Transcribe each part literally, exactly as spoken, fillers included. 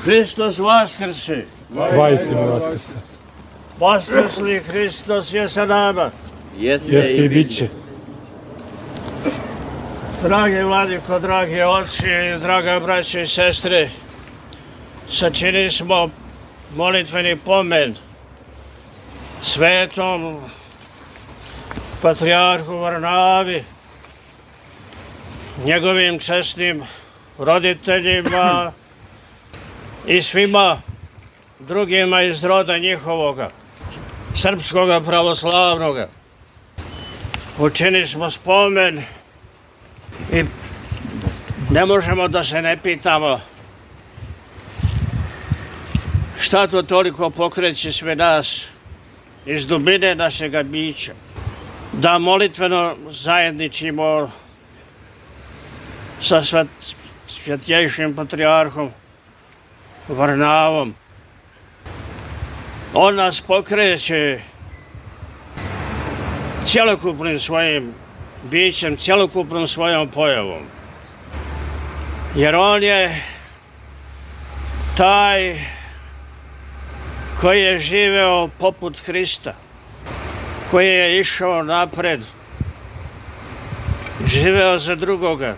Hristos vaskrse. Vaistinu vaskrse. Vaskrsli Hristos je sa nama. Jeste i bit će. Dragi vladiko, dragi oci, draga braće i sestre, sačinili smo molitveni pomen svetom patrijarhu Varnavi, njegovim česnim roditeljima i svima drugima iz roda njihovoga, srpskoga pravoslavnoga. Učinili smo spomen i ne možemo da se ne pitamo šta to toliko pokreće sve nas iz dubine našega bića, da molitveno zajedničimo sa svjetljejšim patrijarhom Varnavom. On nas pokreće cjelokupnim svojim bićem, cjelokupnom svojom pojavom. Jer on je taj koji je živeo poput Hrista, koji je išao napred, živeo za drugoga.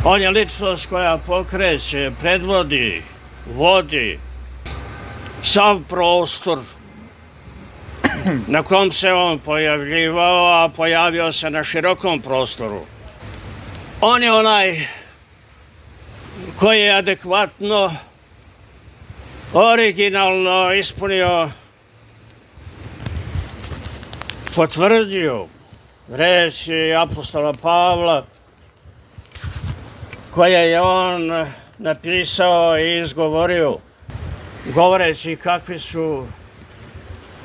On je ličnost koja pokreće, predvodi, vodi sav prostor na kom se on pojavljivao, a pojavio se na širokom prostoru. On je onaj koji je adekvatno, originalno ispunio, potvrdio reči apostola Pavla, koje je on napisao i izgovorio, govoreći kakvi su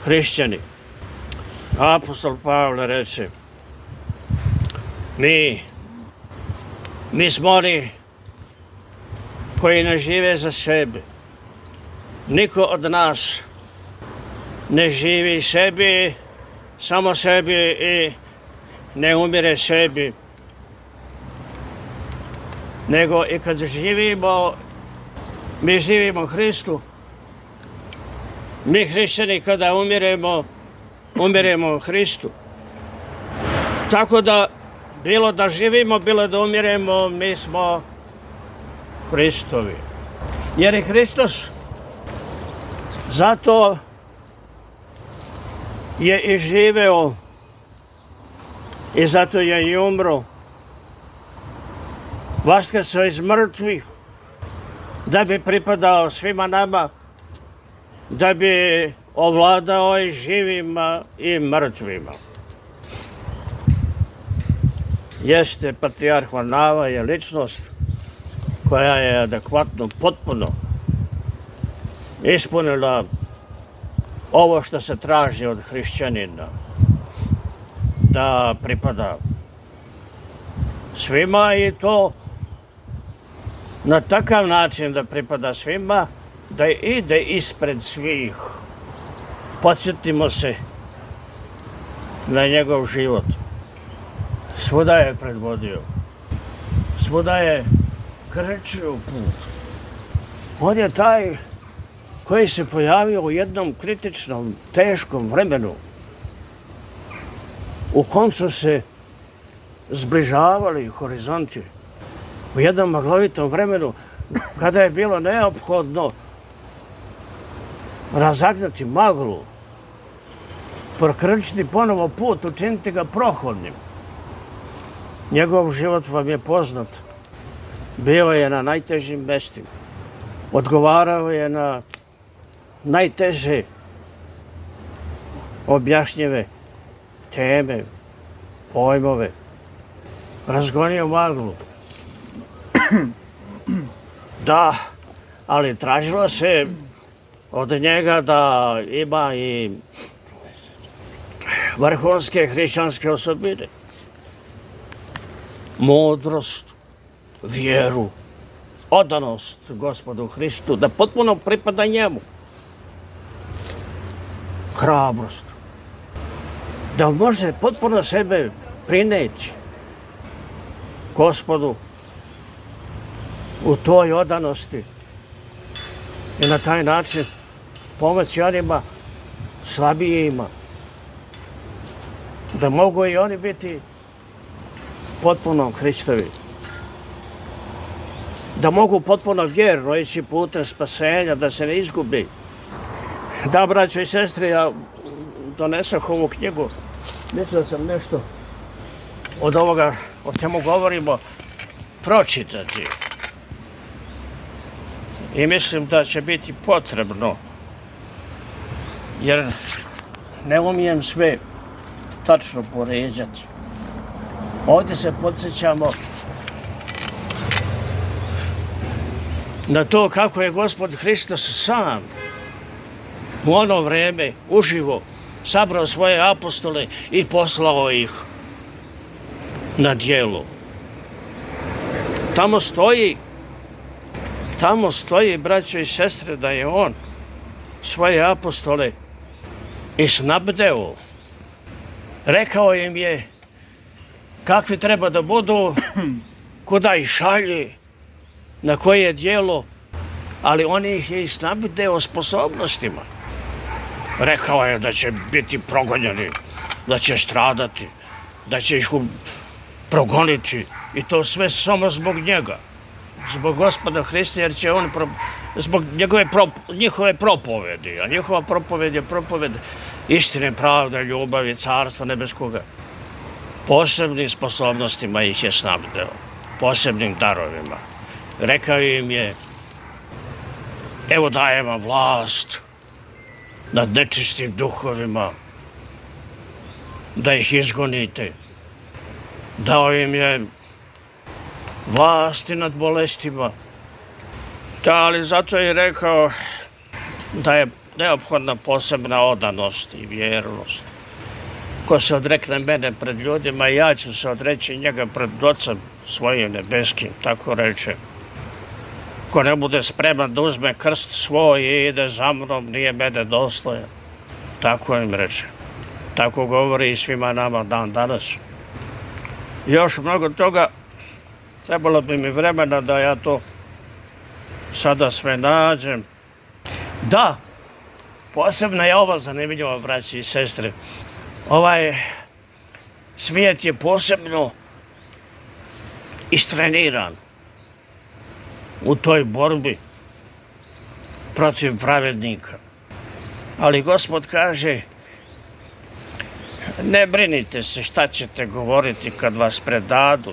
hrišćani. Apostol Pavle reče, mi, mi smo oni koji ne žive za sebe. Niko od nas ne živi sebi, samo sebi i ne umire sebi. Nego i kad živimo, mi živimo Hristu. Mi hrišćani kada umiremo, umiremo Hristu. Tako da, bilo da živimo, bilo da umiremo, mi smo Hristovi. Jer je Hristos zato je i živeo i zato je i umro. Vaskrsao iz mrtvih, da bi pripadao svima nama, da bi ovladao i živima i mrtvima. Jeste, patrijarh Varnava je ličnost koja je adekvatno, potpuno ispunila ovo što se traži od hrišćanina, da pripada svima i to na takav način da pripada svima, da ide ispred svih. Podsjetimo se na njegov život. Svuda je predvodio. Svuda je krečio put. On je taj koji se pojavio u jednom kritičnom, teškom vremenu u kom su se zbližavali horizonti. U jednom maglovitom vremenu kada je bilo neophodno razagnati maglu, prokrčiti ponovo put, učiniti ga prohodnim. Njegov život vam je poznat. Bio je na najtežim mestima. Odgovarao je na najteže objašnjive teme, pojmove. Razgonio maglu. Da, ali tražilo se od njega da ima i vrhunske hrišćanske osobine. Mudrost, vjeru, odanost Gospodu Hristu, da potpuno pripada njemu. Hrabrost, da može potpuno sebe prineti Gospodu u toj odanosti i na taj način pomoći onima slabijima, da mogu i oni biti potpuno Hristovi, da mogu potpuno vjerno ići putem spasenja, da se ne izgubi. Da, braćo i sestre, ja donesah ovu knjigu, mislio sam nešto od ovoga o čemu govorimo pročitati. I mislim da će biti potrebno, jer ne umijem sve tačno poređati. Ovdje se podsjećamo na to kako je Gospod Hristos sam u ono vreme uživo sabrao svoje apostole i poslao ih na djelo. Tamo stoji, tamo stoji, braćo i sestre, da je on svoje apostole i snabdeo. Rekao im je kakvi treba da budu, kuda ih šalje, na koje djelo, ali on ih je i snabdeo sposobnostima. Rekao je da će biti progonjeni, da će stradati, da će ih progoniti i to sve samo zbog njega, zbog Gospoda Hrista, jer će on, pro, zbog njegove pro, njihove propovedi, a njihova propoved je propoved istine, pravde, ljubavi, carstva nebeskoga. Posebnim sposobnostima ih je snabdeo, posebnim darovima. Rekao im je, evo dajem vam vlast nad nečistim duhovima, da ih izgonite. Dao im je vlasti nad bolestima. Da, ali zato je rekao da je neophodna posebna odanost i vjernost. Ko se odrekne mene pred ljudima, ja ću se odreći njega pred Ocem svojim nebeskim, tako reče. Ko ne bude spreman da uzme krst svoj i ide za mnom, nije mene dostojan. Tako im reče. Tako govori i svima nama dan danas. Još mnogo toga, trebalo bi mi vremena da ja to sada sve nađem. Da, posebno je ovo zanimljivo, braći i sestre. Ovaj svijet je posebno istreniran u toj borbi protiv pravednika. Ali Gospod kaže, ne brinite se šta ćete govoriti kad vas predadu.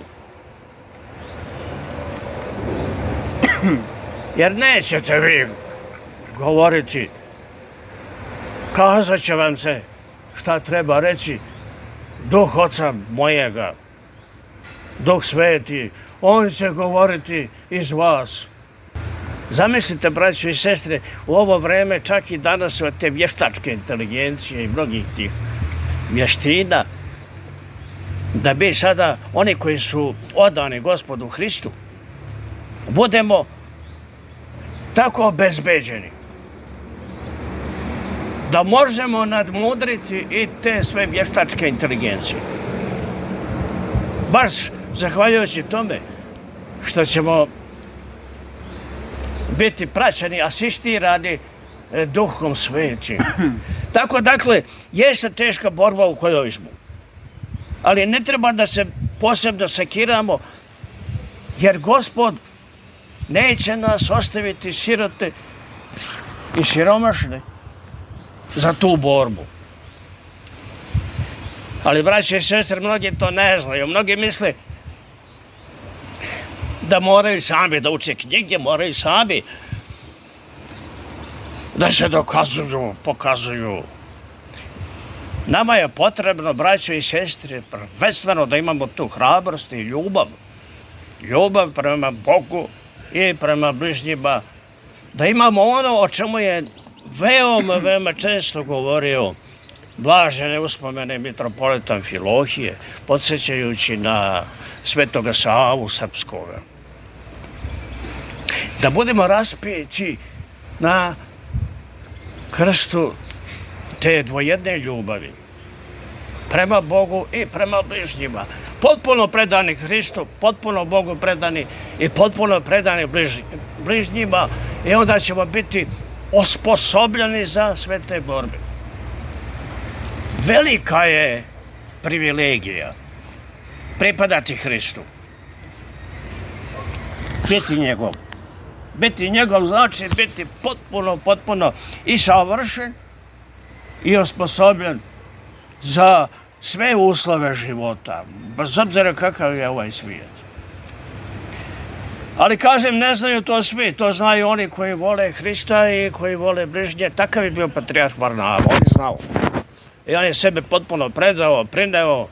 Jer nećete vi govoriti. Kazat će vam se šta treba reći. Duh Oca mojega, Duh Sveti, on će govoriti iz vas. Zamislite, braćo i sestre, u ovo vreme, čak i danas od te vještačke inteligencije i mnogih tih vještina, da bi sada oni koji su odani Gospodu Hristu budemo tako obezbeđeni da možemo nadmudriti i te sve vještačke inteligencije. Baš zahvaljujući tome što ćemo biti praćeni, asistirani Duhom Svetim. Tako, dakle, jeste teška borba u kojoj smo. Ali ne treba da se posebno sekiramo, jer Gospod neće nas ostaviti sirote i siromašne za tu borbu. Ali, braće i sestre, mnogi to ne znaju. Mnogi misle da moraju sami da uče knjige, moraju sami da se dokazuju, pokazuju. Nama je potrebno, braćo i sestre, prvenstveno da imamo tu hrabrost i ljubav. Ljubav prema Bogu i prema bližnjima. Da imamo ono o čemu je veoma, veoma često govorio blažene uspomene mitropolita Amfilohije, podsjećajući na Svetoga Savu Srpskoga. Da budemo raspeti na krstu te dvojedne ljubavi prema Bogu i prema bližnjima. potpuno predani Hristu, potpuno Bogu predani i potpuno predani bližnjima i onda ćemo biti osposobljeni za sve te borbe. Velika je privilegija pripadati Hristu. Biti njegov. Biti njegov znači biti potpuno, potpuno i savršen i osposobljen za sve uslove života, bez obzira kakav je ovaj svijet. Ali kažem, ne znaju to svi, to znaju oni koji vole Hrista i koji vole bližnje. Takav je bio patrijarh Varnava, on je znao. I on je sebe potpuno predao, prineo.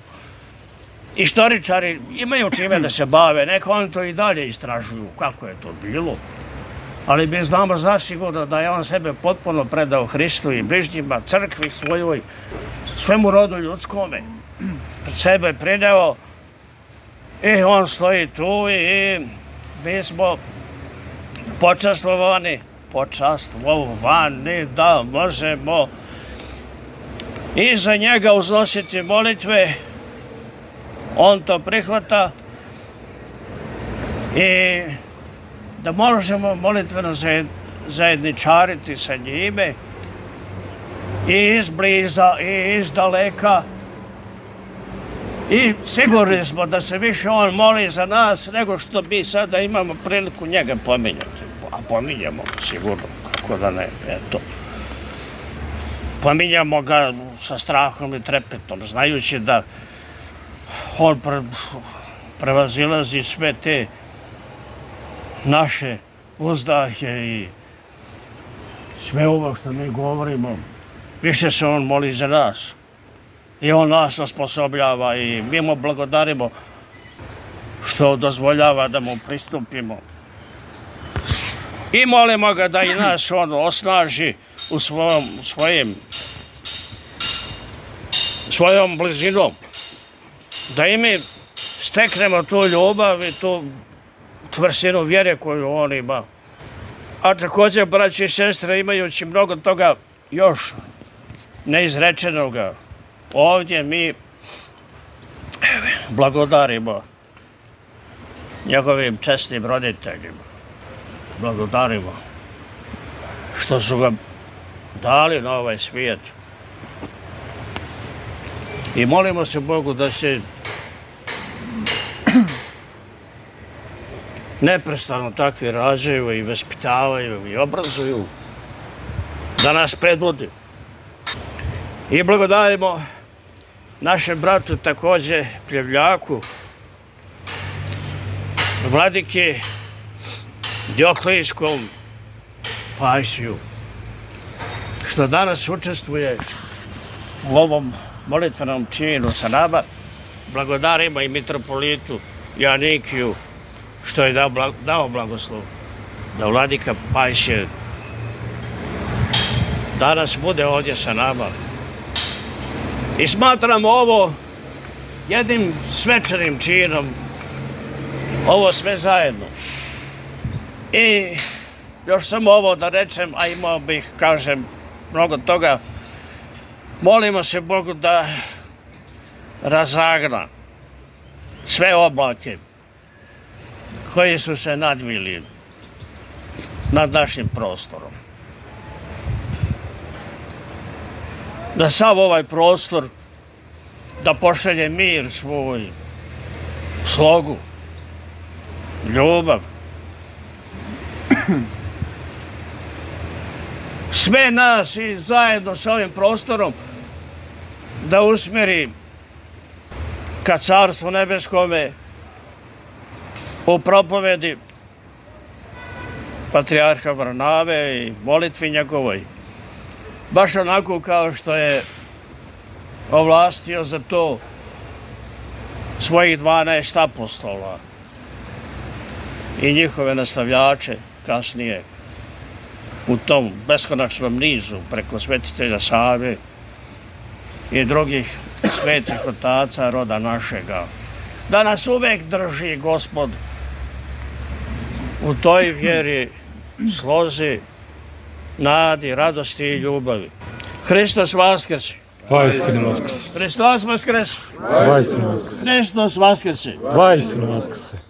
Istoričari imaju čime da se bave, neka oni to i dalje istražuju kako je to bilo. Ali mi znamo zasigurno da je on sebe potpuno predao Hristu i bližnjima, crkvi svojoj, svemu rodu ljudskome. Pred sebe prineo i on stoji tu i mi smo počastvovani, počastvovani da možemo i za njega uznositi molitve. On to prihvata i da možemo molitveno zajedničariti sa njime i izbliza i izdaleka. I sigurni smo da se više on moli za nas nego što mi sada imamo priliku njega pominjati. A pominjamo ga sigurno, kako da ne, eto. Pominjamo ga sa strahom i trepetom, znajući da on prevazilazi sve te naše uzdahe i sve ovo što mi govorimo. Više se on moli za nas. I on nas osposobljava i mi mu blagodarimo što dozvoljava da mu pristupimo. I molimo ga da i nas on osnaži u svojom, svojim, svojom blizinom. Da i mi steknemo tu ljubav i tu čvrstinu vjere koju on ima. A također, braći i sestre, imajući mnogo toga još neizrečenoga, ovdje mi blagodarimo njegovim česnim roditeljima. Blagodarimo što su ga dali na ovaj svijet. I molimo se Bogu da se neprestano takvi rađaju i vaspitavaju i obrazuju, da nas predvodi. I blagodarimo našem bratu također Pljevljaku, vladiki Dioklijskom Pajsiju, što danas učestvuje u ovom molitvenom činu sa nama. Blagodarimo i mitropolitu Janikiju što je dao, dao blagoslov da vladika Pajsije danas bude ovdje sa nama. I smatramo ovo jednim svečanim činom, ovo sve zajedno. I još samo ovo da rečem, a imao bih, kažem, mnogo toga. Molimo se Bogu da razagna sve oblake koji su se nadvili nad našim prostorom. Da sav ovaj prostor da pošalje mir svoj, slogu, ljubav. Sve nas i zajedno sa ovim prostorom da usmjeri ka Carstvu nebeskome u propovedi patrijarha Varnave i molitvi njegovoj. Baš onako kao što je ovlastio za to svojih dvanaest apostola i njihove nastavljače kasnije u tom beskonačnom nizu preko svetitelja Save i drugih svetih otaca roda našega. Da nas uvek drži Gospod u toj vjeri, slozi, nadi, radosti i ljubavi. Hristos vaskrse! Vaistinu vaskrse. Hristos Voskres! Vaistinu vaskrse. Hristos Vaskrse! Vaistinu vaskrse.